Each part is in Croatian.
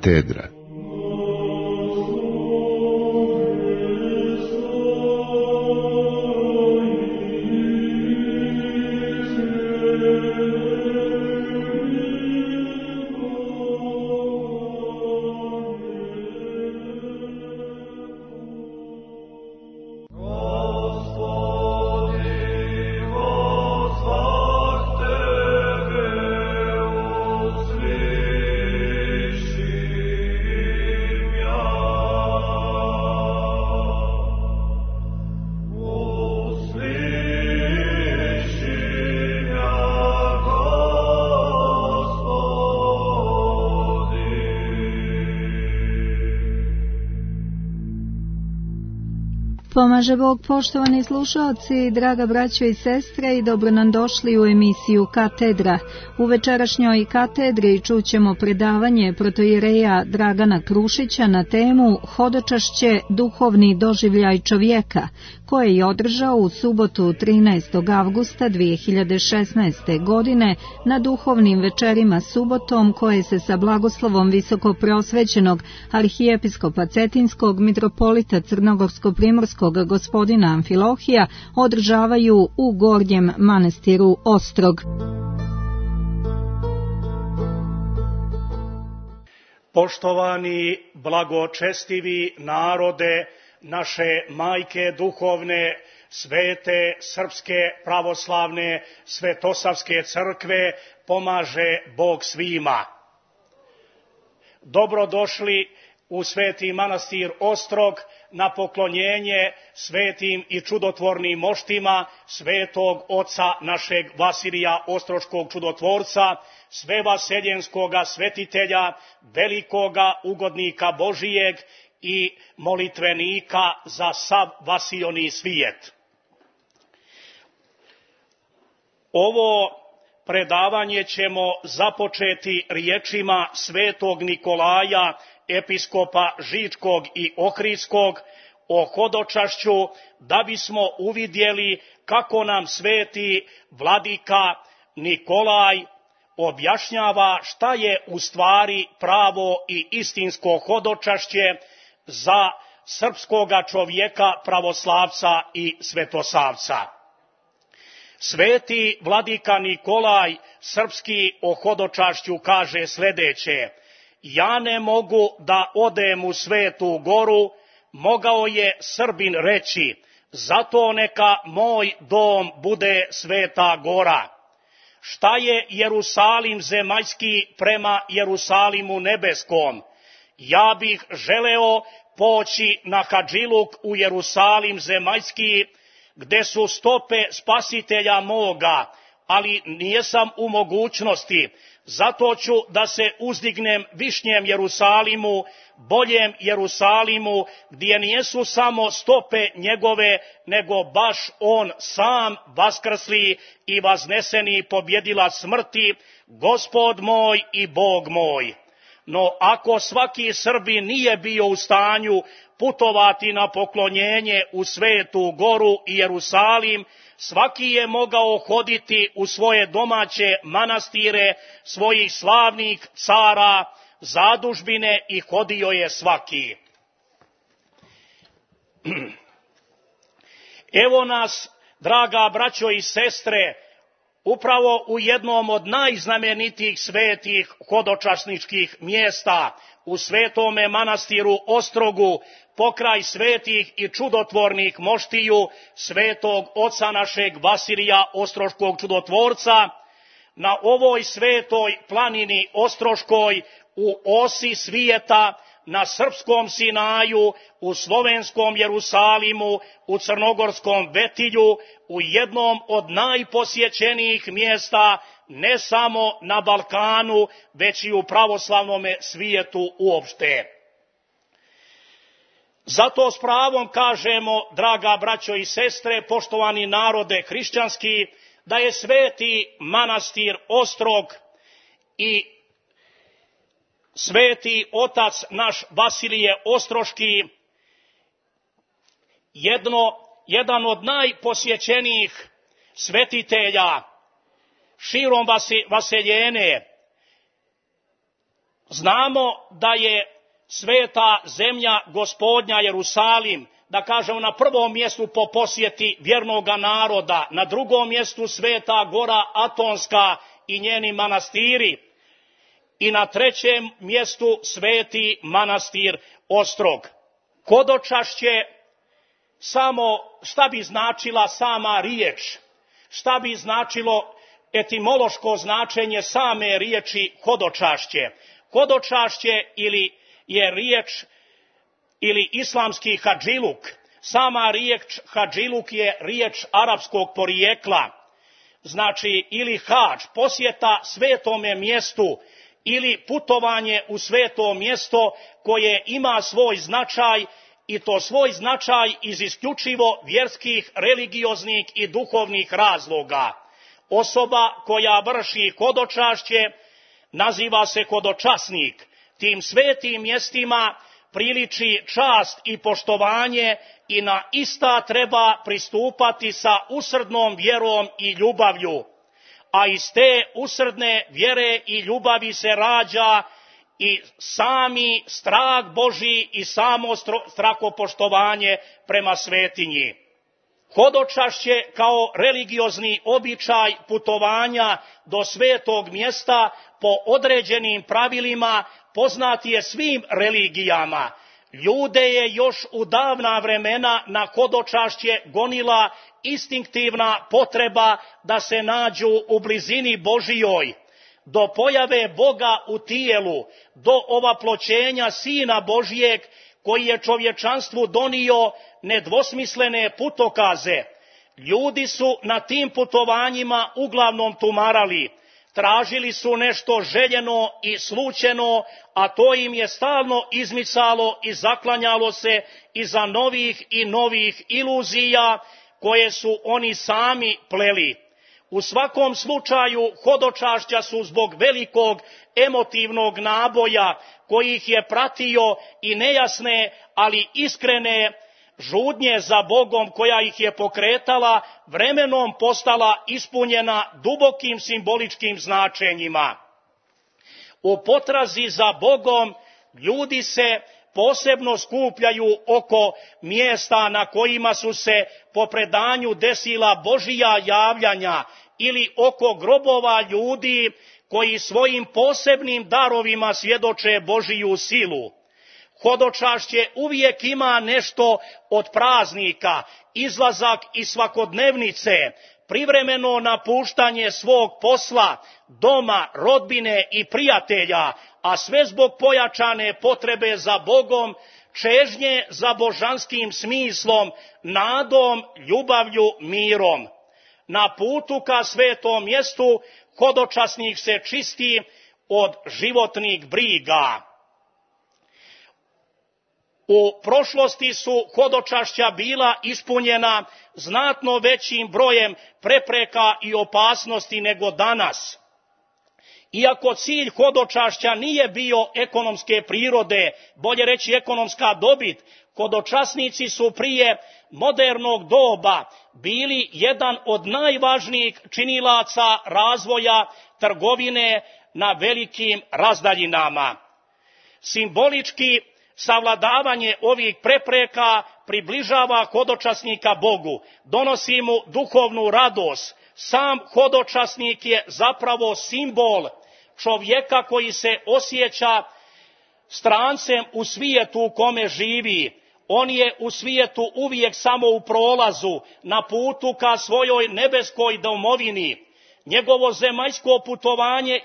Katedra. Pomaže Bog, poštovani slušalci, draga braćo i sestre, i dobro nam došli u emisiju Katedra. U večerašnjoj katedri čućemo predavanje protoijereja Dragana Krušića na temu Hodočašće, duhovni doživljaj čovjeka, koje je održao u subotu 13. avgusta 2016. godine na duhovnim večerima subotom, koje se sa blagoslovom visokopreosvećenog arhijepiskopa Cetinskog mitropolita Crnogorsko-primorskog gospodina Amfilohija održavaju u Gornjem manastiru Ostrog. Poštovani, blagočestivi narode naše majke duhovne, svete srpske pravoslavne svetosavske crkve, pomaže Bog svima. Dobrodošli u sveti manastir Ostrog na poklonjenje svetim i čudotvornim moštima svetog oca našeg Vasilija Ostroškog čudotvorca, svevaseljenskoga svetitelja, velikoga ugodnika Božijeg i molitvenika za sav vasiljoni svijet. Ovo predavanje ćemo započeti riječima svetog Nikolaja, episkopa Žičkog i Ohridskog, o hodočašću, da bismo uvidjeli kako nam sveti vladika Nikolaj objašnjava šta je u stvari pravo i istinsko hodočašće za srpskoga čovjeka, pravoslavca i svetosavca. Sveti vladika Nikolaj srpski o hodočašću kaže sljedeće: ja ne mogu da odem u Svetu Goru, mogao je Srbin reći, zato neka moj dom bude Sveta Gora. Šta je Jerusalim zemaljski prema Jerusalimu nebeskom? Ja bih želeo poći na hadžiluk u Jerusalim zemaljski, gde su stope spasitelja moga, ali nijesam u mogućnosti, zato ću da se uzdignem višnjem Jerusalimu, boljem Jerusalimu, gdje nijesu samo stope njegove, nego baš on sam vaskrsli i vazneseni pobjedilac smrti, Gospod moj i Bog moj. No ako svaki Srbin nije bio u stanju putovati na poklonjenje u Svetu Goru i Jerusalim, svaki je mogao hoditi u svoje domaće manastire svojih slavnih cara, zadužbine, i hodio je svaki. Evo nas, draga braćo i sestre, upravo u jednom od najznamenitijih svetih hodočasničkih mjesta, u svetome manastiru Ostrogu, pokraj svetih i čudotvornih moštiju svetog oca našeg Vasilija Ostroškog čudotvorca, na ovoj svetoj planini Ostroškoj, u osi svijeta, na srpskom Sinaju, u slovenskom Jerusalimu, u crnogorskom Vetilju, u jednom od najposjećenijih mjesta, ne samo na Balkanu, već i u pravoslavnom svijetu uopšte. Zato s pravom kažemo, draga braćo i sestre, poštovani narode hrišćanski, da je sveti manastir Ostrog i sveti otac naš Vasilije Ostroški jedan od najposjećenijih svetitelja širom vaseljene, Znamo da je sveta zemlja Gospodnja Jerusalim, da kažemo, na prvom mjestu po posjeti vjernoga naroda, na drugom mjestu Sveta Gora Atonska i njeni manastiri i na trećem mjestu Sveti manastir Ostrog. Hodočašće, samo šta bi značila sama riječ, šta bi značilo etimološko značenje same riječi hodočašće. Hodočašće ili je riječ ili islamski hadžiluk. Sama riječ hadžiluk je riječ arapskog porijekla. Znači ili hadž, posjeta svetome mjestu ili putovanje u sveto mjesto koje ima svoj značaj i to svoj značaj iz isključivo vjerskih, religioznih i duhovnih razloga. Osoba koja vrši hodočašće naziva se hodočasnik. Tim svetim mjestima priliči čast i poštovanje i na ista treba pristupati sa usrdnom vjerom i ljubavlju. A iz te usrdne vjere i ljubavi se rađa i sami strah Božji i samo strahopoštovanje prema svetinji. Hodočašće kao religiozni običaj putovanja do svetog mjesta po određenim pravilima poznat je svim religijama. Ljude je još u davna vremena na hodočašće gonila instinktivna potreba da se nađu u blizini Božijoj. Do pojave Boga u tijelu, do ovaploćenja Sina Božijeg koji je čovječanstvu donio nedvosmislene putokaze. Ljudi su na tim putovanjima uglavnom tumarali. Tražili su nešto željeno i slučeno, a to im je stalno izmicalo i zaklanjalo se iza novih i novih iluzija koje su oni sami pleli. U svakom slučaju hodočašća su zbog velikog emotivnog naboja koji ih je pratio i nejasne, ali iskrene žudnje za Bogom koja ih je pokretala, vremenom postala ispunjena dubokim simboličkim značenjima. U potrazi za Bogom ljudi se posebno skupljaju oko mjesta na kojima su se po predanju desila Božija javljanja ili oko grobova ljudi koji svojim posebnim darovima svjedoče Božiju silu. Hodočašće uvijek ima nešto od praznika, izlazak iz svakodnevnice, privremeno napuštanje svog posla, doma, rodbine i prijatelja, a sve zbog pojačane potrebe za Bogom, čežnje za božanskim smislom, nadom, ljubavlju, mirom. Na putu ka svetom mjestu hodočasnik se čisti od životnih briga. U prošlosti su hodočašća bila ispunjena znatno većim brojem prepreka i opasnosti nego danas. Iako cilj hodočašća nije bio ekonomske prirode, bolje reći ekonomska dobit, hodočasnici su prije modernog doba bili jedan od najvažnijih činilaca razvoja trgovine na velikim razdaljinama. Simbolički savladavanje ovih prepreka približava hodočasnika Bogu, donosi mu duhovnu radost. Sam hodočasnik je zapravo simbol čovjeka koji se osjeća strancem u svijetu u kome živi. On je u svijetu uvijek samo u prolazu, na putu ka svojoj nebeskoj domovini. Njegovo zemaljsko putovanje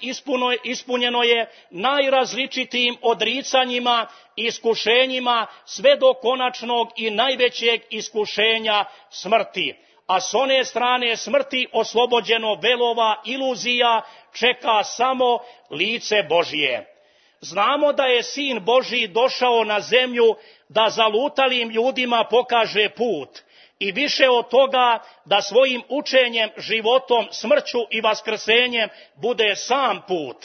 ispunjeno je najrazličitijim odricanjima i iskušenjima sve do konačnog i najvećeg iskušenja smrti. A s one strane smrti oslobođeno velova iluzija čeka samo lice Božije. Znamo da je Sin Božji došao na zemlju da zalutalim ljudima pokaže put. I više od toga da svojim učenjem, životom, smrću i vaskrsenjem bude sam put.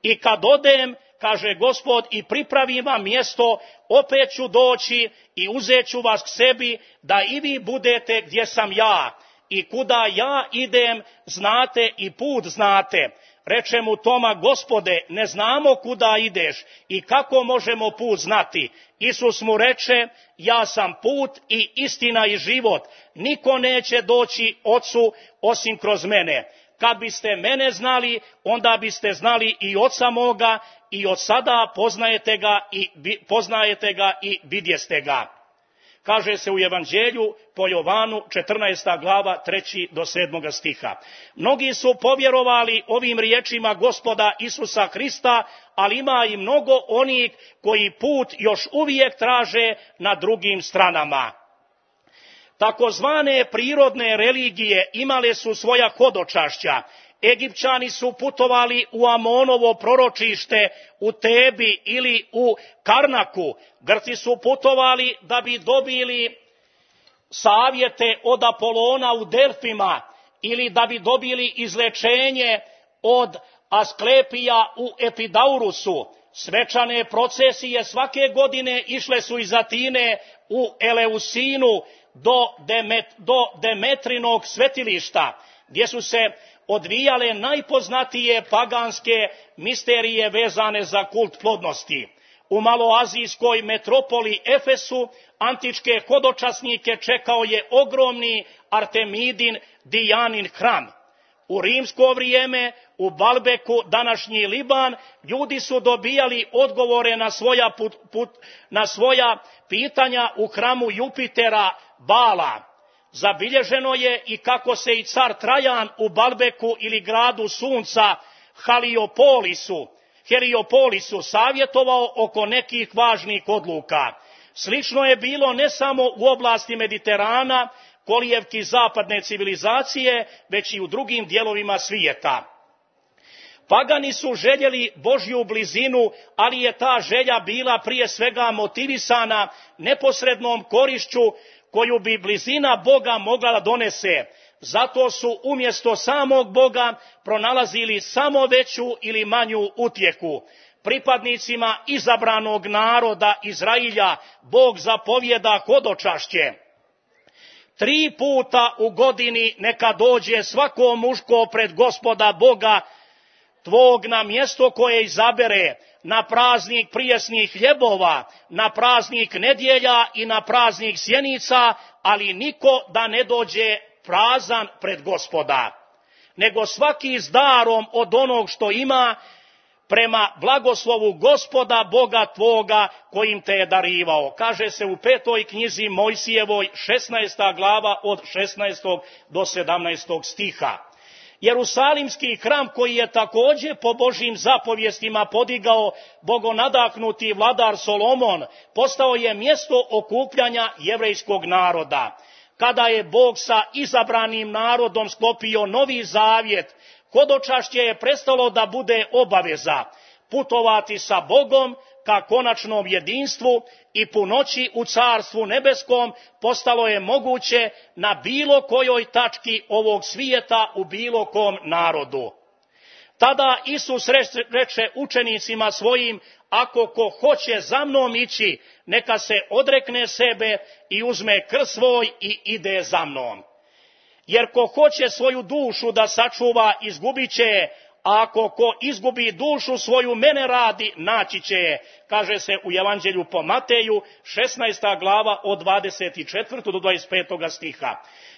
I kad odem, kaže Gospod, i pripravim vam mjesto, opet ću doći i uzet ću vas k sebi, da i vi budete gdje sam ja. I kuda ja idem, znate i put znate. Reče mu Toma: Gospode, ne znamo kuda ideš i kako možemo put znati. Isus mu reče: ja sam put i istina i život. Niko neće doći Ocu osim kroz mene. Kad biste mene znali, onda biste znali i Oca moga, i od sada poznajete ga i vidjeste ga. Kaže se u Evanđelju po Jovanu 14. glava 3. do 7. stiha. Mnogi su povjerovali ovim riječima Gospoda Isusa Hrista, ali ima i mnogo onih koji put još uvijek traže na drugim stranama. Takozvane prirodne religije imale su svoja hodočašća. Egipćani su putovali u Amonovo proročište u Tebi ili u Karnaku. Grci su putovali da bi dobili savjete od Apolona u Delfima ili da bi dobili izlečenje od Asklepija u Epidaurusu. Svečane procesije svake godine išle su iz Atine u Eleusinu do Demetrinog svetilišta, gdje su se odvijale najpoznatije paganske misterije vezane za kult plodnosti. U maloazijskoj metropoli Efesu antičke hodočasnike čekao je ogromni Artemidin Dijanin hram. U rimsko vrijeme u Balbeku, današnji Liban, ljudi su dobijali odgovore na svoja pitanja u hramu Jupitera Bala. Zabilježeno je i kako se i car Trajan u Balbeku ili gradu sunca Heliopolisu savjetovao oko nekih važnih odluka. Slično je bilo ne samo u oblasti Mediterana, kolijevki zapadne civilizacije, već i u drugim dijelovima svijeta. Pagani su željeli Božju blizinu, ali je ta želja bila prije svega motivisana neposrednom korišću koju bi blizina Boga mogla da donese. Zato su umjesto samog Boga pronalazili samo veću ili manju utjehu. Pripadnicima izabranog naroda Izrailja Bog zapovjeda hodočašće. 3 puta u godini neka dođe svako muško pred Gospoda Boga tvog na mjesto koje izabere, na praznik prijesnih hljebova, na praznik nedjelja i na praznik sjenica, ali niko da ne dođe prazan pred Gospoda, nego svaki s darom od onog što ima, prema blagoslovu Gospoda Boga tvoga kojim te je darivao. Kaže se u 5. knjizi Mojsijevoj 16. glava od 16. do 17. stiha. Jerusalimski hram, koji je također po Božjim zapovjestima podigao bogonadahnuti vladar Solomon, postao je mjesto okupljanja jevrejskog naroda. Kada je Bog sa izabranim narodom sklopio novi zavjet, hodočašće je prestalo da bude obaveza. Putovati sa Bogom ka konačnom jedinstvu i punoći u Carstvu nebeskom postalo je moguće na bilo kojoj tački ovog svijeta u bilo kom narodu. Tada Isus reče učenicima svojim: ako ko hoće za mnom ići, neka se odrekne sebe i uzme krst svoj i ide za mnom. Jer ko hoće svoju dušu da sačuva, izgubit će je, a ako ko izgubi dušu svoju mene radi, naći će je. Kaže se u Evanđelju po Mateju 16. glava od 24. do 25. stiha.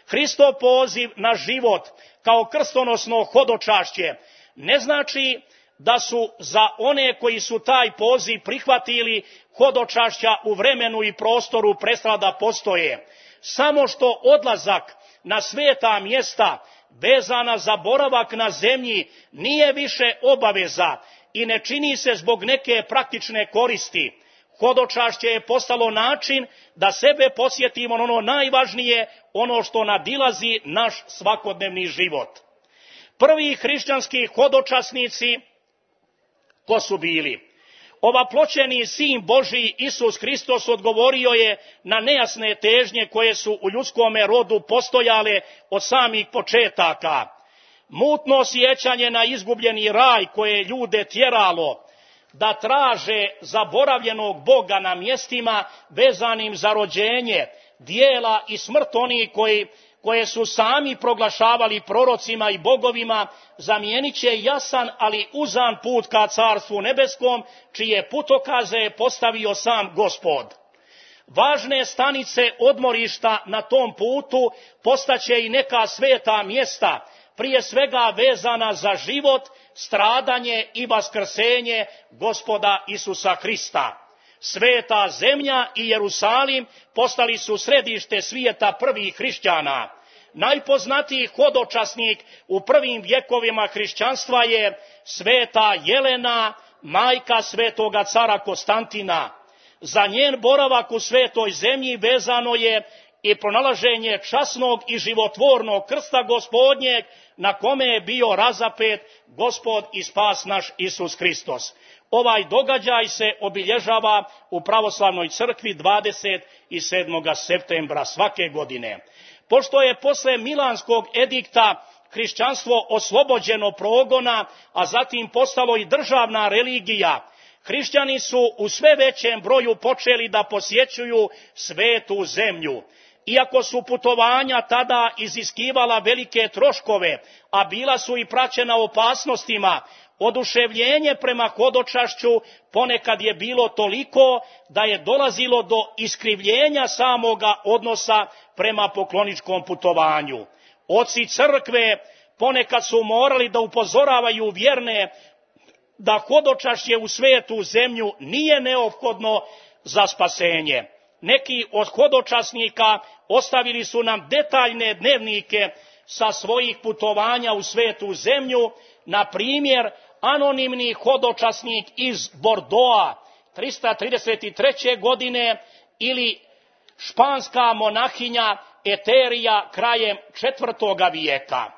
Hristov poziv na život kao krstonosno hodočašće ne znači da su za one koji su taj poziv prihvatili hodočašća u vremenu i prostoru prestala da postoje. Samo što odlazak na sveta mjesta vezana za boravak na zemlji nije više obaveza i ne čini se zbog neke praktične koristi. Hodočašće je postalo način da sebe podsjetimo na ono najvažnije, ono što nadilazi naš svakodnevni život. Prvi hrišćanski hodočasnici ko su bili? Ovaploćeni sin Božji Isus Hristos odgovorio je na nejasne težnje koje su u ljudskome rodu postojale od samih početaka. Mutno sjećanje na izgubljeni raj koje je ljude tjeralo da traže zaboravljenog Boga na mjestima vezanim za rođenje, dijela i smrt onih koje su sami proglašavali prorocima i bogovima, zamijenit će jasan, ali uzan put ka Carstvu nebeskom, čije putokaze je postavio sam Gospod. Važne stanice odmorišta na tom putu postaće i neka sveta mjesta, prije svega vezana za život, stradanje i vaskrsenje Gospoda Isusa Hrista. Sveta zemlja i Jerusalim postali su središte svijeta prvih hrišćana. Najpoznatiji hodočasnik u prvim vjekovima hrišćanstva je sveta Jelena, majka svetoga cara Konstantina. Za njen boravak u svetoj zemlji vezano je i pronalaženje časnog i životvornog krsta Gospodnjeg, na kome je bio razapet Gospod i spas naš Isus Hristos. Ovaj događaj se obilježava u pravoslavnoj crkvi 27. septembra svake godine. Pošto je posle Milanskog edikta hrišćanstvo oslobođeno progona, a zatim postalo i državna religija, hrišćani su u sve većem broju počeli da posjećuju svetu zemlju. Iako su putovanja tada iziskivala velike troškove, a bila su i praćena opasnostima, oduševljenje prema hodočašću ponekad je bilo toliko da je dolazilo do iskrivljenja samoga odnosa prema pokloničkom putovanju. Oci crkve ponekad su morali da upozoravaju vjerne da hodočašće u svetu zemlju nije neophodno za spasenje. Neki od hodočasnika ostavili su nam detaljne dnevnike sa svojih putovanja u svetu zemlju, na primjer anonimni hodočasnik iz Bordoa 333. godine ili španska monahinja Eterija krajem 4. vijeka.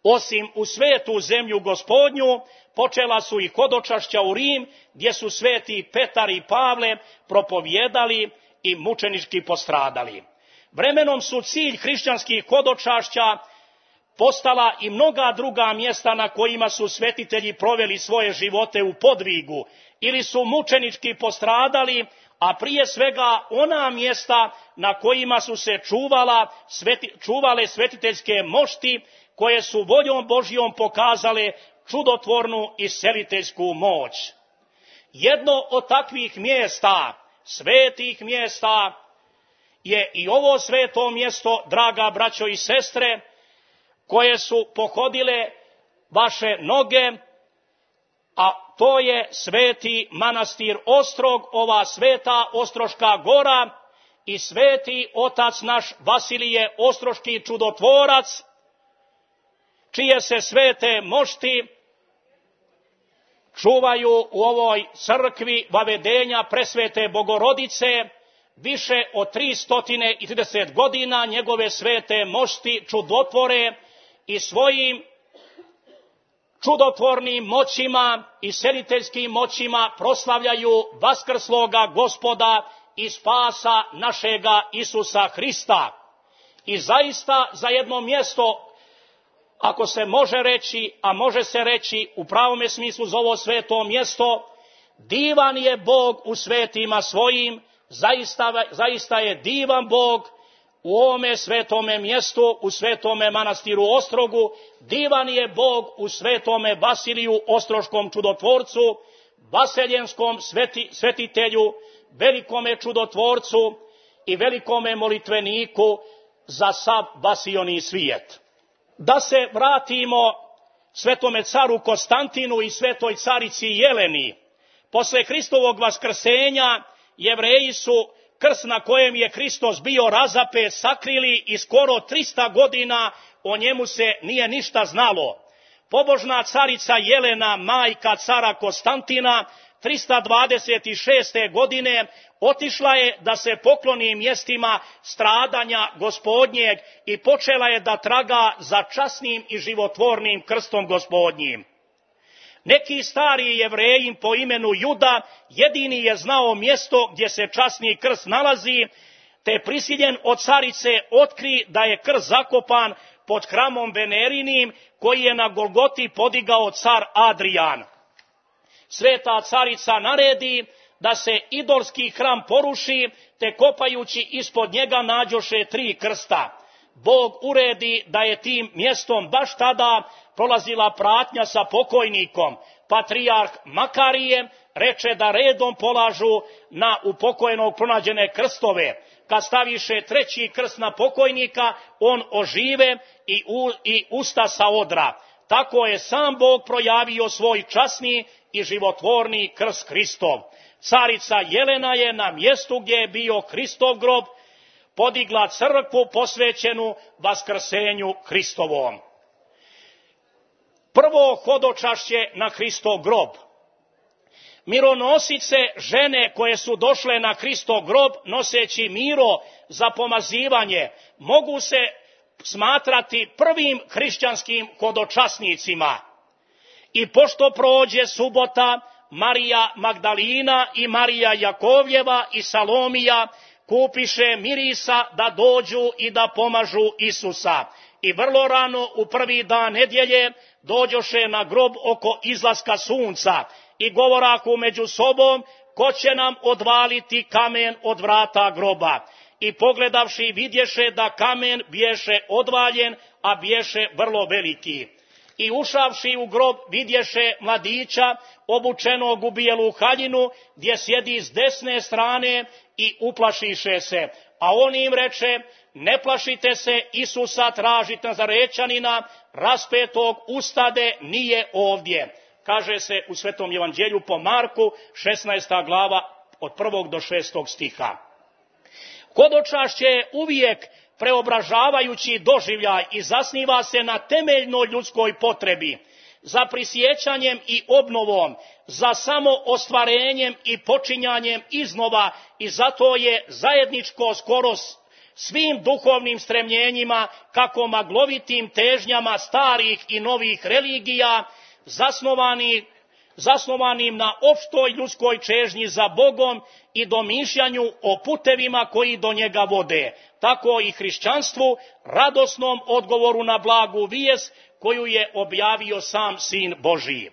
Osim u svetu zemlju Gospodnju, počela su i hodočašća u Rim, gdje su sveti Petar i Pavle propovjedali i mučenički postradali. Vremenom su cilj hrišćanskih hodočašća postala i mnoga druga mjesta na kojima su svetitelji proveli svoje živote u podvigu ili su mučenički postradali, a prije svega ona mjesta na kojima su se čuvale svetiteljske mošti, koje su voljom Božjom pokazale čudotvornu isceliteljsku moć. Jedno od takvih mjesta, svetih mjesta, je i ovo sveto mjesto, draga braćo i sestre, koje su pohodile vaše noge, a to je sveti manastir Ostrog, ova sveta Ostroška gora i sveti otac naš Vasilije Ostroški čudotvorac, čije se svete mošti čuvaju u ovoj crkvi Vavedenja presvete Bogorodice. Više od 330 godina njegove svete mošti čudotvore i svojim čudotvornim moćima i seliteljskim moćima proslavljaju vaskrsloga Gospoda i spasa našega Isusa Hrista. I zaista za jedno mjesto, ako se može reći, a može se reći u pravome smislu za ovo sveto mjesto, divan je Bog u svetima svojim, zaista je divan Bog u ovome svetome mjestu, u svetome manastiru Ostrogu, divan je Bog u svetome Vasiliju Ostroškom čudotvorcu, vaseljenskom svetitelju, velikome čudotvorcu i velikome molitveniku za sav vasioni svijet. Da se vratimo svetome caru Konstantinu i svetoj carici Jeleni. Posle Hristovog vaskrsenja Jevreji su krst na kojem je Hristos bio razapet sakrili i skoro 300 godina o njemu se nije ništa znalo. Pobožna carica Jelena, majka cara Konstantina, 326. godine otišla je da se pokloni mjestima stradanja Gospodnjeg i počela je da traga za časnim i životvornim krstom Gospodnjim. Neki stari Jevreji po imenu Juda jedini je znao mjesto gdje se časni krst nalazi, te je prisiljen od carice otkri da je krst zakopan pod hramom Venerinim koji je na Golgoti podigao car Adrijan. Sveta carica naredi da se idolski hram poruši, te kopajući ispod njega nađoše 3 krsta. Bog uredi da je tim mjestom baš tada prolazila pratnja sa pokojnikom. Patrijarh Makarije reče da redom polažu na upokojenog pronađene krstove. Kad staviše 3. krst na pokojnika, on ožive i usta sa odra. Tako je sam Bog projavio svoj časni i životvorni krst Hristov. Carica Jelena je na mjestu gdje je bio Hristov grob podigla crkvu posvećenu vaskrsenju Hristovom. Prvo hodočašće na Hristov grob. Mironosice, žene koje su došle na Hristov grob noseći miro za pomazivanje, mogu se smatrati prvim hrišćanskim hodočasnicima. I pošto prođe subota, Marija Magdalina i Marija Jakovljeva i Salomija kupiše mirisa da dođu i da pomažu Isusa. I vrlo rano u prvi dan nedjelje dođoše na grob oko izlaska sunca i govorahu među sobom, ko će nam odvaliti kamen od vrata groba. I pogledavši vidješe da kamen biješe odvaljen, a biješe vrlo veliki. I ušavši u grob vidješe mladića obučenog u bijelu haljinu, gdje sjedi s desne strane i uplašiše se. A on im reče, ne plašite se, Isusa tražite Nazarečanina, raspetog, ustade, nije ovdje. Kaže se u Svetom evanđelju po Marku, 16. glava od 1. do 6. stiha. Hodočašće je uvijek preobražavajući doživljaj i zasniva se na temeljnoj ljudskoj potrebi, za prisjećanjem i obnovom, za samo ostvarenjem i počinjanjem iznova, i zato je zajedničko skoro svim duhovnim stremljenjima, kako maglovitim težnjama starih i novih religija, zasnovanim na opštoj ljudskoj čežnji za Bogom i domišljanju o putevima koji do njega vode. Tako i hrišćanstvu, radosnom odgovoru na blagu vijest koju je objavio sam Sin Božiji.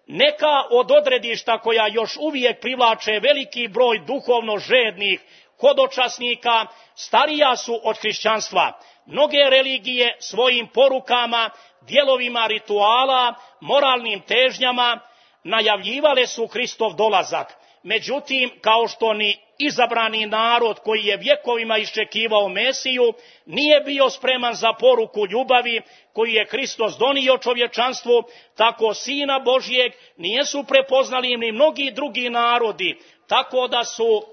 Neka od odredišta koja još uvijek privlače veliki broj duhovno žednih hodočasnika starija su od hrišćanstva. Mnoge religije svojim porukama, dijelovima rituala, moralnim težnjama najavljivale su Hristov dolazak. Međutim, kao što ni izabrani narod koji je vjekovima iščekivao Mesiju nije bio spreman za poruku ljubavi koju je Hristos donio čovječanstvu, tako Sina Božjeg nijesu prepoznali ni mnogi drugi narodi, tako da su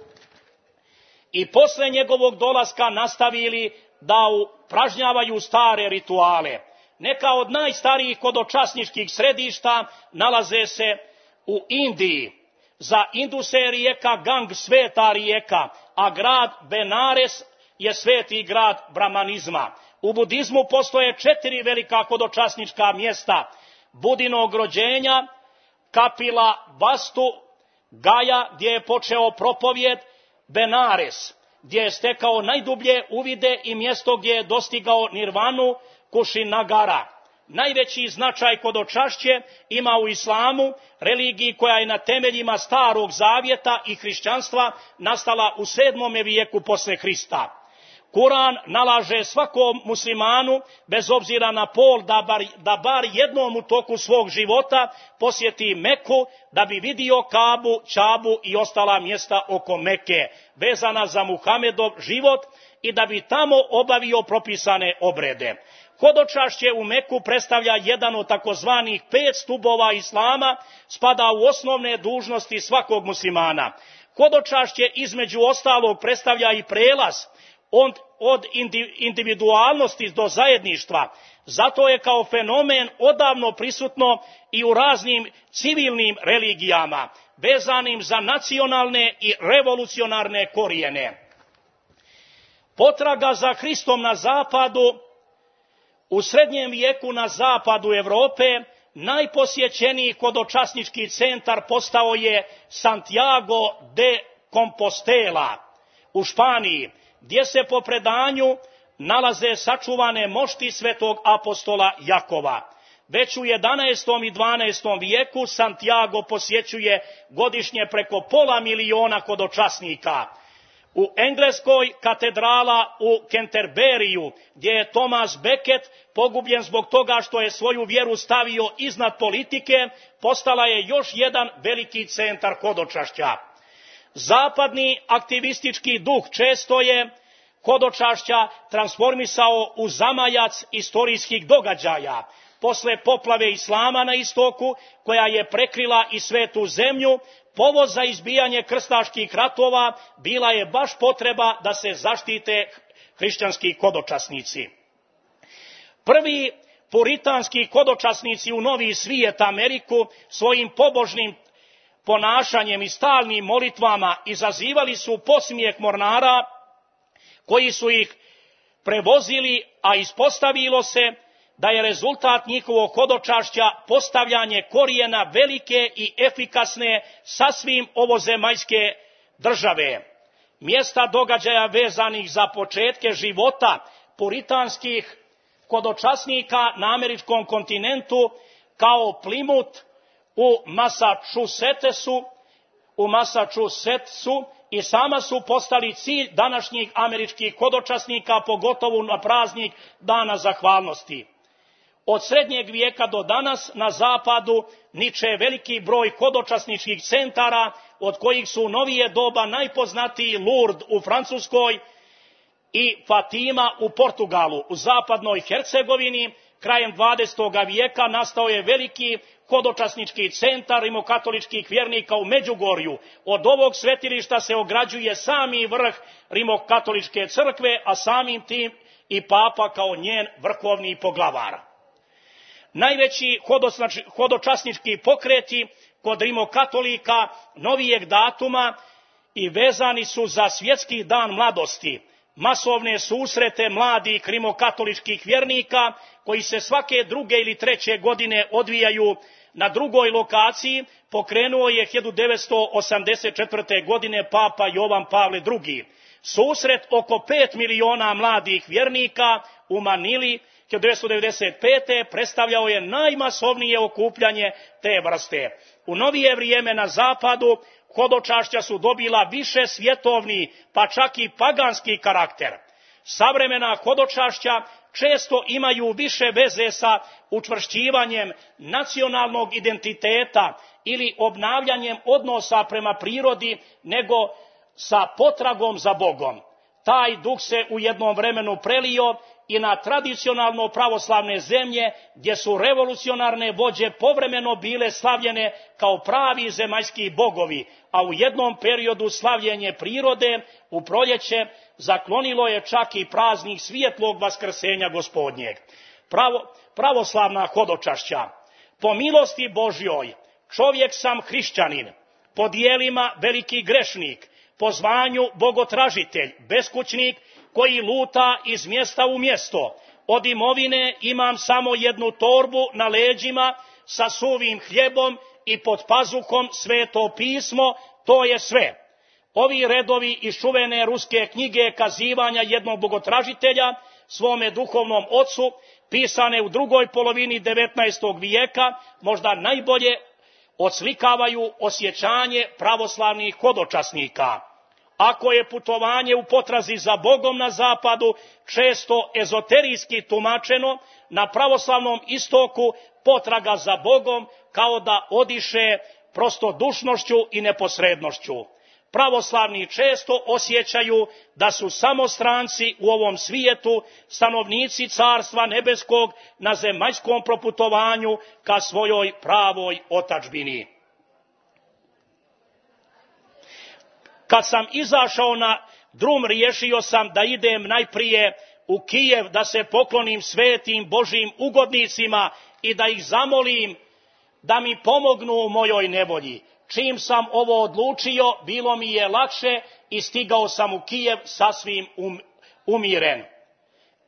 i posle njegovog dolaska nastavili da upražnjavaju stare rituale. Neka od najstarijih hodočasničkih središta nalaze se u Indiji. Za Induse je rijeka Gang sveta rijeka, a grad Benares je sveti grad brahmanizma. U budizmu postoje 4 velika hodočasnička mjesta: Budinog rođenja, Kapila Vastu, Gaja gdje je počeo propovjed, Benares gdje je stekao najdublje uvide i mjesto gdje je dostigao nirvanu, Kušinagara. Najveći značaj hodočašće ima u islamu, religiji koja je na temeljima Starog Zavjeta i hrišćanstva nastala u 7. vijeku posle Hrista. Kuran nalaže svakom muslimanu, bez obzira na pol, da bar jednom u toku svog života posjeti Meku, da bi vidio Kabu, Čabu i ostala mjesta oko Meke, vezana za Muhamedov život, i da bi tamo obavio propisane obrede. Hodočašće u Meku predstavlja jedan od takozvanih 5 stubova islama, spada u osnovne dužnosti svakog muslimana. Hodočašće između ostalog predstavlja i prelaz od individualnosti do zajedništva. Zato je kao fenomen odavno prisutno i u raznim civilnim religijama, vezanim za nacionalne i revolucionarne korijene. Potraga za Hristom na zapadu. U srednjem vijeku na zapadu Europe najposjećeniji hodočasnički centar postao je Santiago de Compostela u Španiji, gdje se po predanju nalaze sačuvane mošti svetog apostola Jakova. Već u 11. i 12. vijeku Santiago posjećuje godišnje preko 500.000 hodočasnika. U Engleskoj katedrala u Canterburyju, gdje je Thomas Becket pogubljen zbog toga što je svoju vjeru stavio iznad politike, postala je još jedan veliki centar hodočašća. Zapadni aktivistički duh često je hodočašća transformisao u zamajac istorijskih događaja. Posle poplave islama na istoku, koja je prekrila i svetu zemlju, povod za izbijanje krstaških ratova bila je baš potreba da se zaštite hrišćanski hodočasnici. Prvi puritanski hodočasnici u Novi svijet, Ameriku, svojim pobožnim ponašanjem i stalnim molitvama izazivali su podsmijeh mornara koji su ih prevozili, a ispostavilo se da je rezultat njihovog hodočašća postavljanje korijena velike i efikasne sasvim ovozemaljske države. Mjesta događaja vezanih za početke života puritanskih hodočasnika na američkom kontinentu, kao Plymouth u Massachusettsu, i sama su postali cilj današnjih američkih hodočasnika, pogotovo na praznik Dana zahvalnosti. Od srednjeg vijeka do danas na zapadu niče veliki broj hodočasničkih centara, od kojih su u novije doba najpoznatiji Lourdes u Francuskoj i Fatima u Portugalu. U zapadnoj Hercegovini krajem 20. vijeka nastao je veliki hodočasnički centar rimokatoličkih vjernika u Međugorju. Od ovog svetilišta se ograđuje sami vrh rimokatoličke crkve, a samim tim i papa kao njen vrhovni poglavar. Najveći hodočasnički pokreti kod rimokatolika novijeg datuma i vezani su za svjetski dan mladosti, masovne susrete mladih rimokatoličkih vjernika koji se svake druge ili treće godine odvijaju na drugoj lokaciji, pokrenuo je 1984. godine papa Jovan Pavle II. Susret oko 5 miliona mladih vjernika u Manili 1995. predstavljao je najmasovnije okupljanje te vrste. U novije vrijeme na zapadu hodočašća su dobila više svjetovni, pa čak i paganski karakter. Savremena hodočašća često imaju više veze sa učvršćivanjem nacionalnog identiteta ili obnavljanjem odnosa prema prirodi nego sa potragom za Bogom. Taj duh se u jednom vremenu prelio i na tradicionalno pravoslavne zemlje, gdje su revolucionarne vođe povremeno bile slavljene kao pravi zemaljski bogovi, a u jednom periodu slavljenje prirode u proljeće zaklonilo je čak i praznik svjetlog vaskrsenja Gospodnjeg. Pravoslavna hodočašća. Po milosti Božjoj čovjek sam hrišćanin, po dijelima veliki grešnik, po zvanju bogotražitelj, beskućnik koji luta iz mjesta u mjesto. Od imovine imam samo jednu torbu na leđima sa suvim hljebom i pod pazuhom Sveto pismo, to je sve. Ovi redovi iz čuvene ruske knjige Kazivanja jednog bogotražitelja svome duhovnom ocu, pisane u drugoj polovini 19. vijeka, možda najbolje odslikavaju osjećanje pravoslavnih hodočasnika. Ako je putovanje u potrazi za Bogom na zapadu često ezoterijski tumačeno, na pravoslavnom istoku potraga za Bogom kao da odiše prostodušnošću i neposrednošću. Pravoslavni često osjećaju da su samo stranci u ovom svijetu, stanovnici Carstva nebeskog na zemaljskom proputovanju ka svojoj pravoj otadžbini. Kad sam izašao na drum, riješio sam da idem najprije u Kijev, da se poklonim svetim Božjim ugodnicima i da ih zamolim da mi pomognu u mojoj nevolji. Čim sam ovo odlučio, bilo mi je lakše i stigao sam u Kijev sasvim umiren.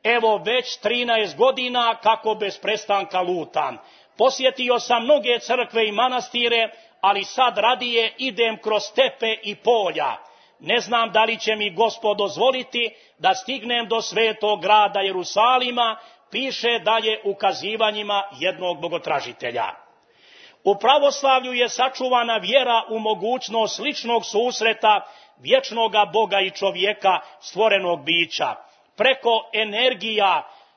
Evo već 13 godina kako bez prestanka lutam. Posjetio sam mnoge crkve i manastire, ali sad radije idem kroz stepe i polja. Ne znam da li će mi Gospod dozvoliti da stignem do svetog grada Jerusalima, piše dalje ukazivanjima jednog bogotražitelja. U pravoslavlju je sačuvana vjera u mogućnost ličnog susreta vječnoga Boga i čovjeka, stvorenog bića. Preko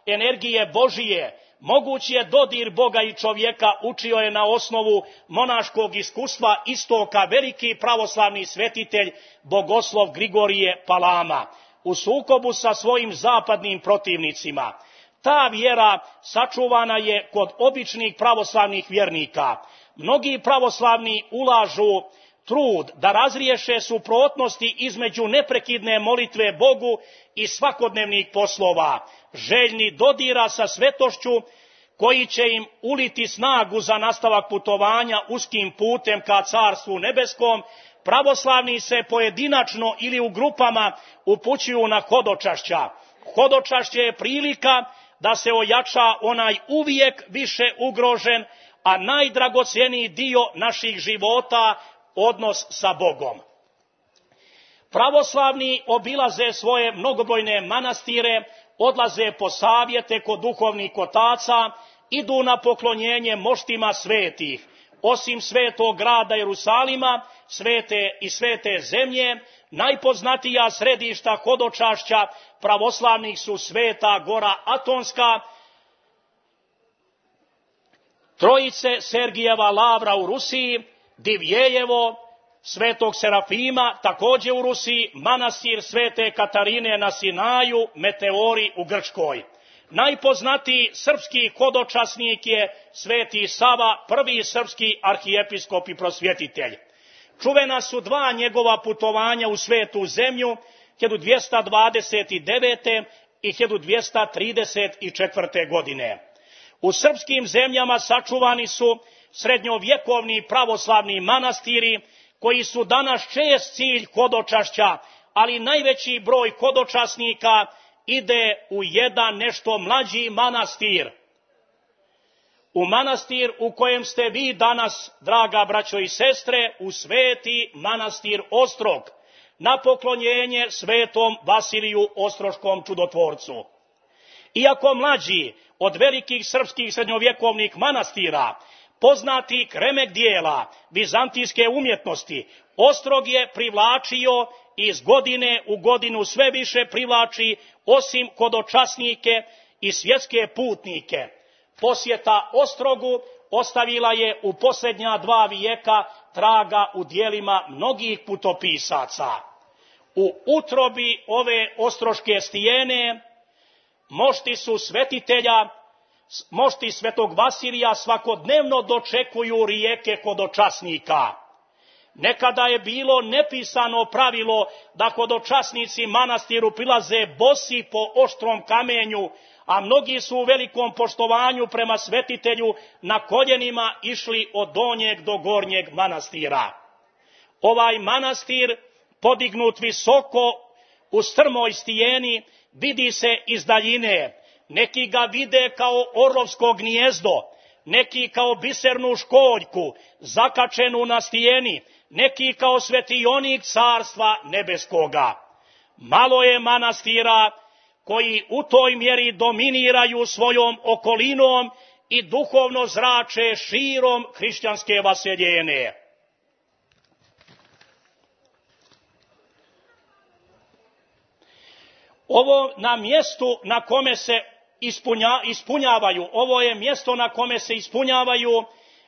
energije Božije, moguć je dodir Boga i čovjeka, učio je na osnovu monaškog iskustva istoka veliki pravoslavni svetitelj bogoslov Grigorije Palama, u sukobu sa svojim zapadnim protivnicima. Ta vjera sačuvana je kod običnih pravoslavnih vjernika. Mnogi pravoslavni ulažu trud da razriješe suprotnosti između neprekidne molitve Bogu i svakodnevnih poslova, željni dodira sa svetošću koji će im uliti snagu za nastavak putovanja uskim putem ka Carstvu nebeskom. Pravoslavni se pojedinačno ili u grupama upućuju na hodočašća. Hodočašće je prilika da se ojača onaj uvijek više ugrožen, a najdragocjeniji dio naših života, odnos sa Bogom. Pravoslavni obilaze svoje mnogobrojne manastire, odlaze po savjete kod duhovnih otaca, idu na poklonjenje moštima svetih. Osim svetog grada Jerusalima, svete zemlje, najpoznatija središta hodočašća pravoslavnih su Sveta Gora Atonska, Trojice Sergijeva Lavra u Rusiji, Divjejevo, Svetog Serafima, također u Rusiji, manastir Svete Katarine na Sinaju, Meteori u Grčkoj. Najpoznatiji srpski hodočasnik je Sveti Sava, prvi srpski arhijepiskop i prosvjetitelj. Čuvena su dva njegova putovanja u svetu zemlju, 1229. i 1234. godine. U srpskim zemljama sačuvani su srednjovjekovni pravoslavni manastiri, koji su danas čest cilj hodočašća, ali najveći broj hodočasnika ide u jedan nešto mlađi manastir. U manastir u kojem ste vi danas, draga braćo i sestre, u sveti manastir Ostrog, na poklonjenje svetom Vasiliju Ostroškom čudotvorcu. Iako mlađi od velikih srpskih srednjovjekovnih manastira, poznati remek dijela vizantijske umjetnosti, Ostrog je privlačio i iz godine u godinu sve više privlači, osim hodočasnike i svjetske putnike. Posjeta Ostrogu ostavila je u posljednja 2 vijeka traga u dijelima mnogih putopisaca. U utrobi ove ostroške stijene mošti su svetitelja, mošti svetog Vasilija svakodnevno dočekuju rijeke hodočasnika. Nekada je bilo nepisano pravilo da hodočasnici manastiru prilaze bosi po oštrom kamenju, a mnogi su u velikom poštovanju prema svetitelju na koljenima išli od donjeg do gornjeg manastira. Ovaj manastir, podignut visoko u strmoj stijeni, vidi se iz daljine. Neki ga vide kao orlovsko gnijezdo, neki kao bisernu školjku zakačenu na stijeni, neki kao svetionik Carstva nebeskoga. Malo je manastira koji u toj mjeri dominiraju svojom okolinom i duhovno zrače širom hrišćanske vaseljene. Ovo na mjestu na kome se ispunjavaju, ovo je mjesto na kome se ispunjavaju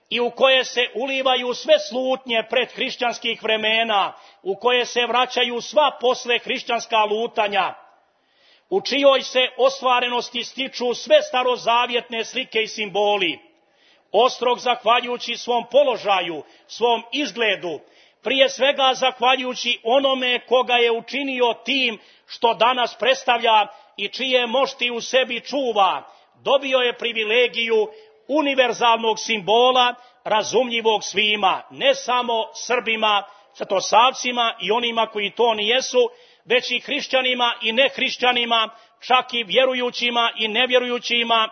i u koje se ulivaju sve slutnje pred hrišćanskih vremena, u koje se vraćaju sva posle hrišćanska lutanja, u čijoj se ostvarenosti stiču sve starozavjetne slike i simboli. Ostrog, zahvaljujući svom položaju, svom izgledu, prije svega zahvaljujući onome koga je učinio tim što danas predstavlja i čije mošti u sebi čuva, dobio je privilegiju univerzalnog simbola, razumljivog svima, ne samo Srbima, svetosavcima i onima koji to nijesu, već i hrišćanima i nehrišćanima, čak i vjerujućima i nevjerujućima,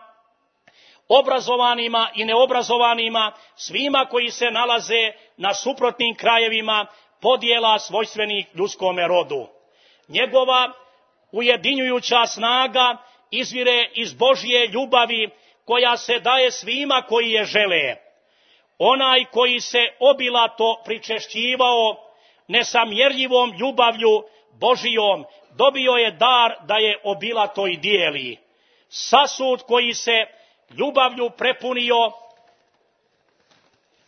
obrazovanima i neobrazovanima, svima koji se nalaze na suprotnim krajevima podjela svojstvenih ljudskome rodu. Njegova ujedinjujuća snaga izvire iz Božje ljubavi koja se daje svima koji je žele. Onaj koji se obilato pričešćivao nesamjerljivom ljubavlju Božijom, dobio je dar da je obilato i dijeli. Sasud koji se ljubavlju prepunio,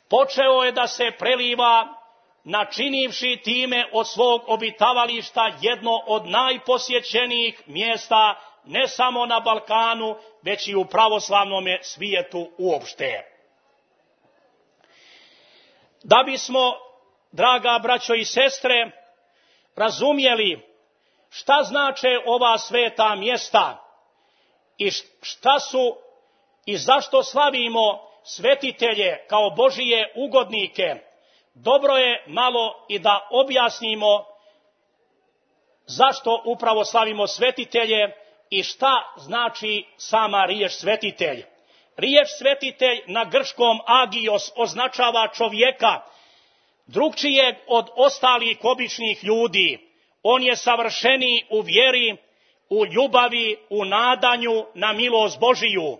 počeo je da se preliva, načinivši time od svog obitavališta jedno od najposjećenijih mjesta, ne samo na Balkanu, već i u pravoslavnom svijetu uopšte. Da bismo, draga braćo i sestre, razumjeli šta znače ova sveta mjesta i šta su i zašto slavimo svetitelje kao Božije ugodnike, dobro je malo i da objasnimo zašto upravo slavimo svetitelje i šta znači sama riječ svetitelj. Riječ svetitelj na grčkom agios označava čovjeka, drukčijeg od ostalih običnih ljudi. On je savršeniji u vjeri, u ljubavi, u nadanju na milost Božiju.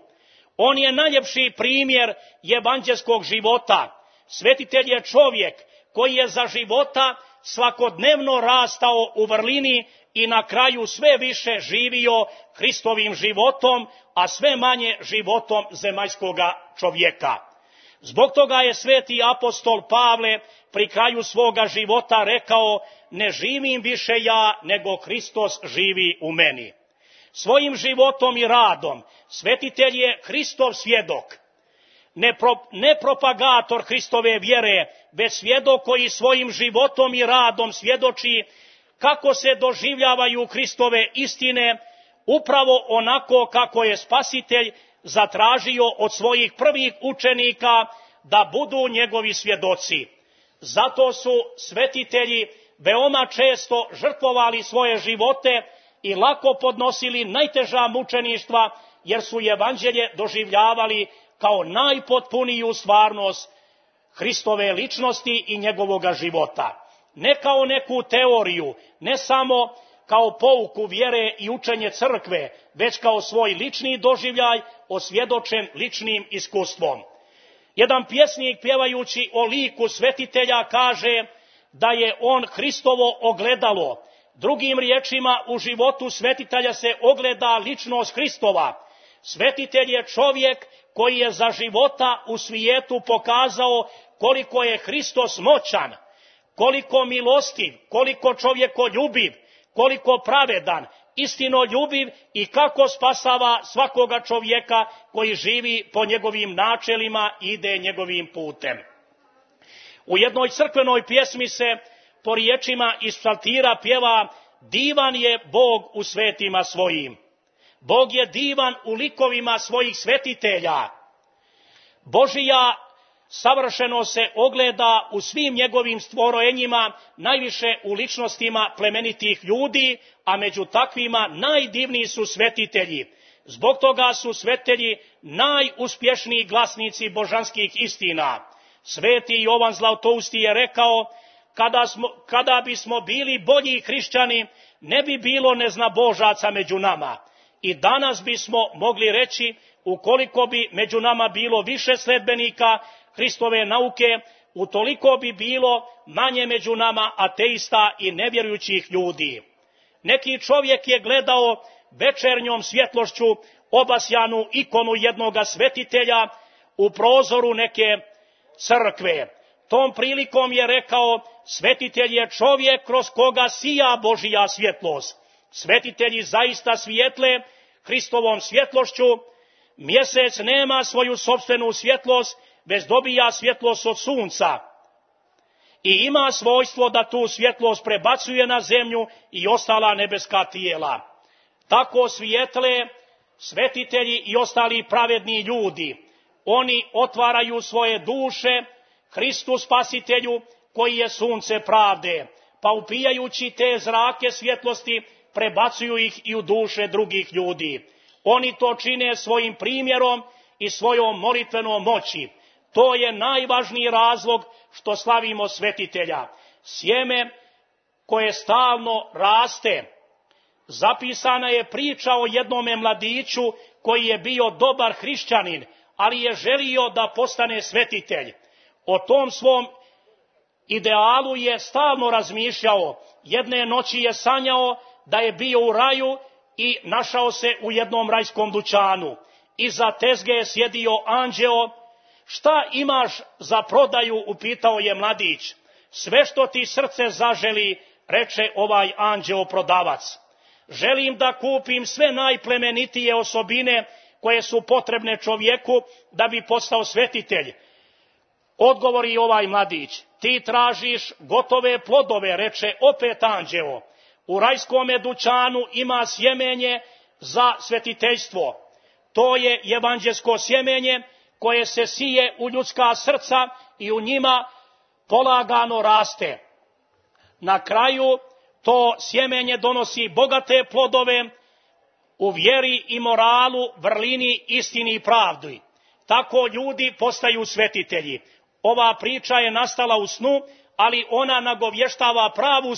On je najljepši primjer evanđelskog života. Svetitelj je čovjek koji je za života svakodnevno rastao u vrlini i na kraju sve više živio Hristovim životom, a sve manje životom zemaljskoga čovjeka. Zbog toga je sveti apostol Pavle pri kraju svoga života rekao: ne živim više ja, nego Hristos živi u meni. Svojim životom i radom svetitelj je Hristov svjedok, ne propagator Hristove vjere, već svjedok koji svojim životom i radom svjedoči kako se doživljavaju Hristove istine, upravo onako kako je Spasitelj zatražio od svojih prvih učenika da budu njegovi svjedoci. Zato su svetitelji veoma često žrtvovali svoje živote i lako podnosili najteža mučeništva, jer su evanđelje doživljavali kao najpotpuniju stvarnost Hristove ličnosti i njegovoga života. Ne kao neku teoriju, ne samo kao pouku vjere i učenje crkve, već kao svoj lični doživljaj osvjedočen ličnim iskustvom. Jedan pjesnik pjevajući o liku svetitelja kaže da je on Hristovo ogledalo. Drugim riječima, u životu svetitelja se ogleda ličnost Hristova. Svetitelj je čovjek koji je za života u svijetu pokazao koliko je Hristos moćan, koliko milostiv, koliko čovjekoljubiv, koliko pravedan, istinoljubiv i kako spasava svakoga čovjeka koji živi po njegovim načelima i ide njegovim putem. U jednoj crkvenoj pjesmi se po riječima iz psaltira pjeva: divan je Bog u svetima svojim. Bog je divan u likovima svojih svetitelja. Božija savršeno se ogleda u svim njegovim stvorenjima, najviše u ličnostima plemenitih ljudi, a među takvima najdivniji su svetitelji. Zbog toga su svetitelji najuspješniji glasnici božanskih istina. Sveti Jovan Zlatousti je rekao: kada bismo bili bolji hrišćani, ne bi bilo neznabožaca među nama. I danas bismo mogli reći, ukoliko bi među nama bilo više sledbenika Hristove nauke, utoliko bi bilo manje među nama ateista i nevjerujućih ljudi. Neki čovjek je gledao večernjom svjetlošću obasjanu ikonu jednoga svetitelja u prozoru neke crkve. Tom prilikom je rekao: svetitelj je čovjek kroz koga sija Božija svjetlost. Svetitelji zaista svijetle Hristovom svjetlošću. Mjesec nema svoju sopstvenu svjetlost, već dobija svjetlost od sunca i ima svojstvo da tu svjetlost prebacuje na zemlju i ostala nebeska tijela. Tako svijetle svetitelji i ostali pravedni ljudi. Oni otvaraju svoje duše Hristu Spasitelju, koji je sunce pravde, pa upijajući te zrake svjetlosti prebacuju ih i u duše drugih ljudi. Oni to čine svojim primjerom i svojom molitvenom moći. To je najvažniji razlog što slavimo svetitelja. Sjeme koje stalno raste, zapisana je priča o jednome mladiću koji je bio dobar hrišćanin, ali je želio da postane svetitelj. O tom svom idealu je stalno razmišljao. Jedne noći je sanjao da je bio u raju i našao se u jednom rajskom dućanu. Iza tezge je sjedio anđeo. Šta imaš za prodaju, upitao je mladić. Sve što ti srce zaželi, reče ovaj anđeo prodavac. Želim da kupim sve najplemenitije osobine koje su potrebne čovjeku da bi postao svetitelj. Odgovori ovaj mladić. Ti tražiš gotove plodove, reče opet anđeo. U rajskome dućanu ima sjemenje za svetiteljstvo. To je evanđelsko sjemenje koje se sije u ljudska srca i u njima polagano raste. Na kraju to sjemenje donosi bogate plodove u vjeri i moralu, vrlini, istini i pravdi. Tako ljudi postaju svetitelji. Ova priča je nastala u snu, ali ona nagovještava pravu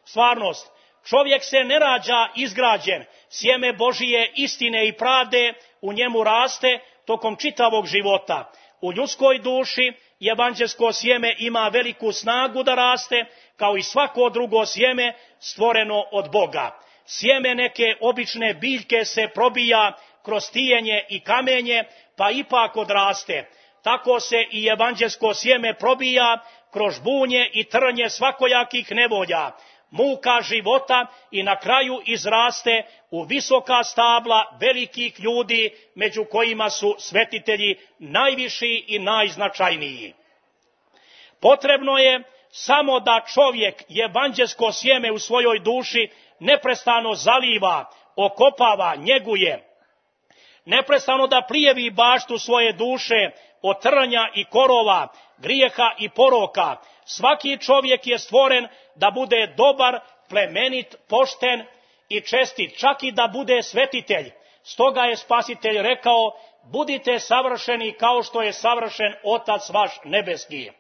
stvarnost. Čovjek se ne rađa izgrađen, sjeme Božije istine i pravde u njemu raste tokom čitavog života. U ljudskoj duši evanđelsko sjeme ima veliku snagu da raste, kao i svako drugo sjeme stvoreno od Boga. Sjeme neke obične biljke se probija kroz tijenje i kamenje, pa ipak odraste. Tako se i evanđelsko sjeme probija kroz bunje i trnje svakojakih nevolja, muka života i na kraju izraste u visoka stabla velikih ljudi, među kojima su svetitelji najviši i najznačajniji. Potrebno je samo da čovjek evanđelsko sjeme u svojoj duši neprestano zaliva, okopava, njeguje. Neprestano da prijevi baštu svoje duše od trnja i korova, grijeha i poroka. Svaki čovjek je stvoren da bude dobar, plemenit, pošten i čestit, čak i da bude svetitelj. Stoga je Spasitelj rekao, budite savršeni kao što je savršen Otac vaš nebeski.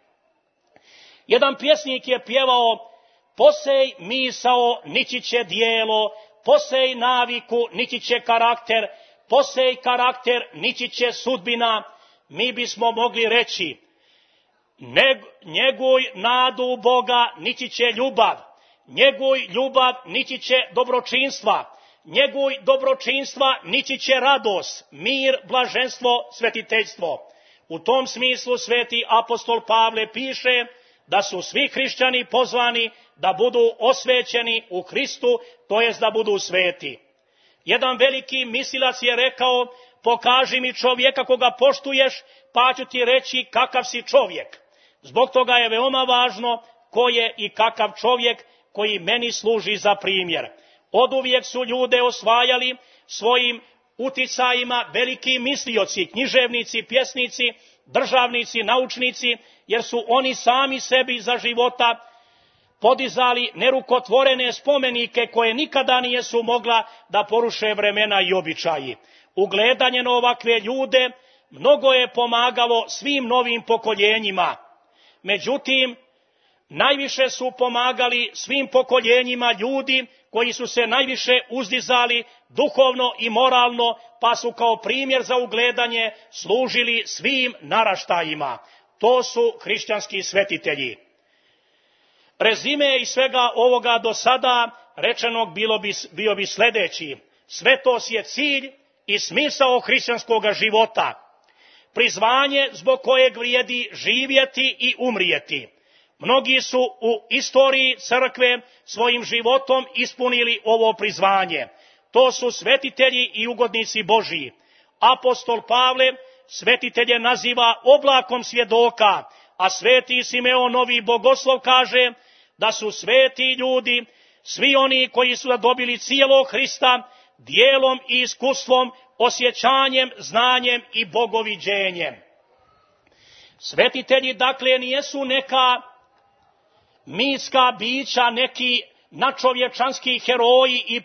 Jedan pjesnik je pjevao, posej misao, nići će dijelo, posej naviku, nići će karakter, posej karakter, nići će sudbina. Mi bismo mogli reći, njeguj nadu u Boga, nići će ljubav, njeguj ljubav, nići će dobročinstva, njeguj dobročinstva, nići će radost, mir, blaženstvo, svetiteljstvo. U tom smislu sveti apostol Pavle piše da su svi hrišćani pozvani da budu osvećeni u Hristu, to jest da budu sveti. Jedan veliki mislilac je rekao, pokaži mi čovjeka koga poštuješ, pa ću ti reći kakav si čovjek. Zbog toga je veoma važno ko je i kakav čovjek koji meni služi za primjer. Oduvijek su ljude osvajali svojim uticajima veliki mislioci, književnici, pjesnici, državnici, naučnici, jer su oni sami sebi za života podizali nerukotvorene spomenike koje nikada nisu mogla da poruše vremena i običaji. Ugledanje na ovakve ljude mnogo je pomagalo svim novim pokoljenjima. Međutim, najviše su pomagali svim pokoljenjima ljudi koji su se najviše uzdizali duhovno i moralno, pa su kao primjer za ugledanje služili svim naraštajima. To su hrišćanski svetitelji. Rezime iz svega ovoga do sada rečenog bio bi sljedeći. Svetost je cilj i smisao hrišćanskog života. Prizvanje zbog kojeg vrijedi živjeti i umrijeti. Mnogi su u istoriji crkve svojim životom ispunili ovo prizvanje. To su svetitelji i ugodnici Božiji. Apostol Pavle svetitelje naziva oblakom svjedoka, a sveti Simeon Novi Bogoslov kaže da su sveti ljudi, svi oni koji su zadobili cijelog Hrista, djelom i iskustvom, osjećanjem, znanjem i bogoviđenjem. Svetitelji dakle nijesu neka mitska bića, neki nadčovječanski heroji i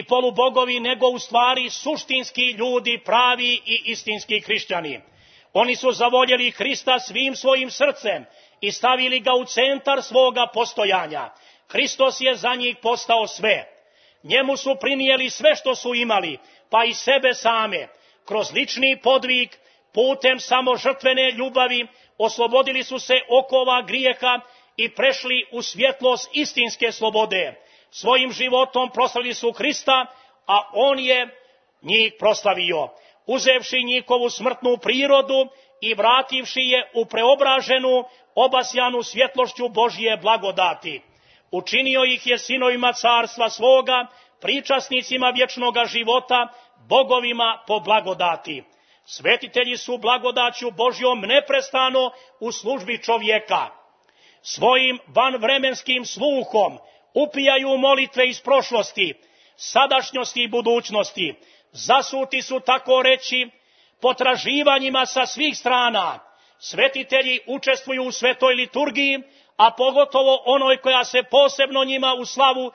polubogovi, nego u stvari suštinski ljudi, pravi i istinski hrišćani. Oni su zavoljeli Hrista svim svojim srcem i stavili ga u centar svoga postojanja. Hristos je za njih postao sve. Njemu su prinijeli sve što su imali, pa i sebe same. Kroz lični podvig, putem samožrtvene ljubavi, oslobodili su se okova grijeha i prešli u svjetlost istinske slobode. Svojim životom proslavili su Hrista, a on je njih proslavio, uzevši njihovu smrtnu prirodu i vrativši je u preobraženu, obasjanu svjetlošću Božje blagodati. Učinio ih je sinovima carstva svoga, pričasnicima vječnoga života, bogovima po blagodati. Svetitelji su blagodaću Božjom neprestano u službi čovjeka. Svojim vanvremenskim sluhom upijaju molitve iz prošlosti, sadašnjosti i budućnosti. Zasuti su, tako reći, potraživanjima sa svih strana. Svetitelji učestvuju u svetoj liturgiji, a pogotovo onoj koja se posebno njima u slavu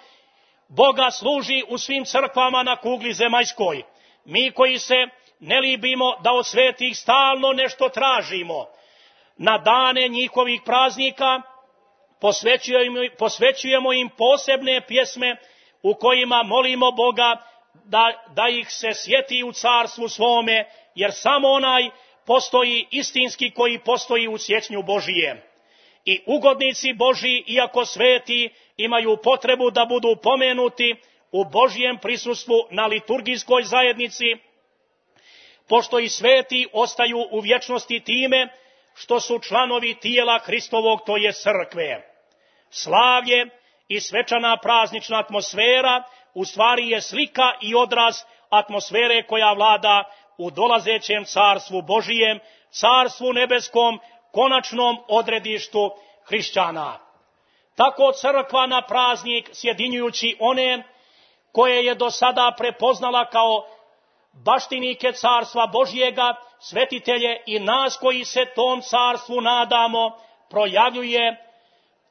Boga služi u svim crkvama na kugli zemaljskoj. Mi koji se ne libimo da od svetih stalno nešto tražimo, na dane njihovih praznika posvećujemo im posebne pjesme u kojima molimo Boga da ih se sjeti u carstvu svome, jer samo onaj postoji istinski koji postoji u sjećnju Božije. I ugodnici Božji, iako sveti, imaju potrebu da budu pomenuti u Božjem prisustvu na liturgijskoj zajednici, pošto i sveti ostaju u vječnosti time što su članovi tijela Hristovog, to je crkve. Slavlje i svečana praznična atmosfera u stvari je slika i odraz atmosfere koja vlada u dolazećem carstvu Božijem, carstvu nebeskom, konačnom odredištu hrišćana. Tako crkva na praznik, sjedinjujući one koje je do sada prepoznala kao baštinike carstva Božjega, svetitelje i nas koji se tom carstvu nadamo, projavljuje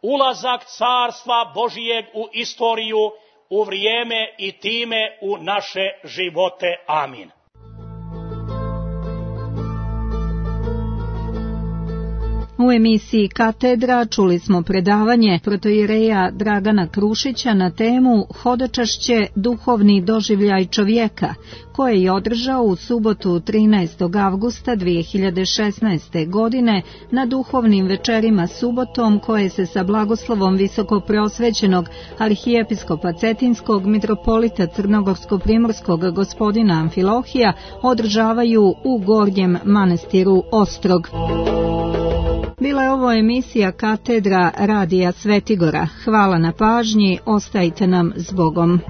ulazak carstva Božjeg u istoriju, u vrijeme i time u naše živote. Amin. U emisiji Katedra čuli smo predavanje protoijereja Dragana Krušića na temu Hodočašće, duhovni doživljaj čovjeka, koje je održao u subotu 13. avgusta 2016. godine na duhovnim večerima subotom, koje se sa blagoslovom visokopreosvećenog arhijepiskopa Cetinskog mitropolita Crnogorsko-primorskog gospodina Amfilohija održavaju u Gornjem manastiru Ostrog. Bila je ovo emisija Katedra radija Svetigora. Hvala na pažnji, ostajte nam s Bogom.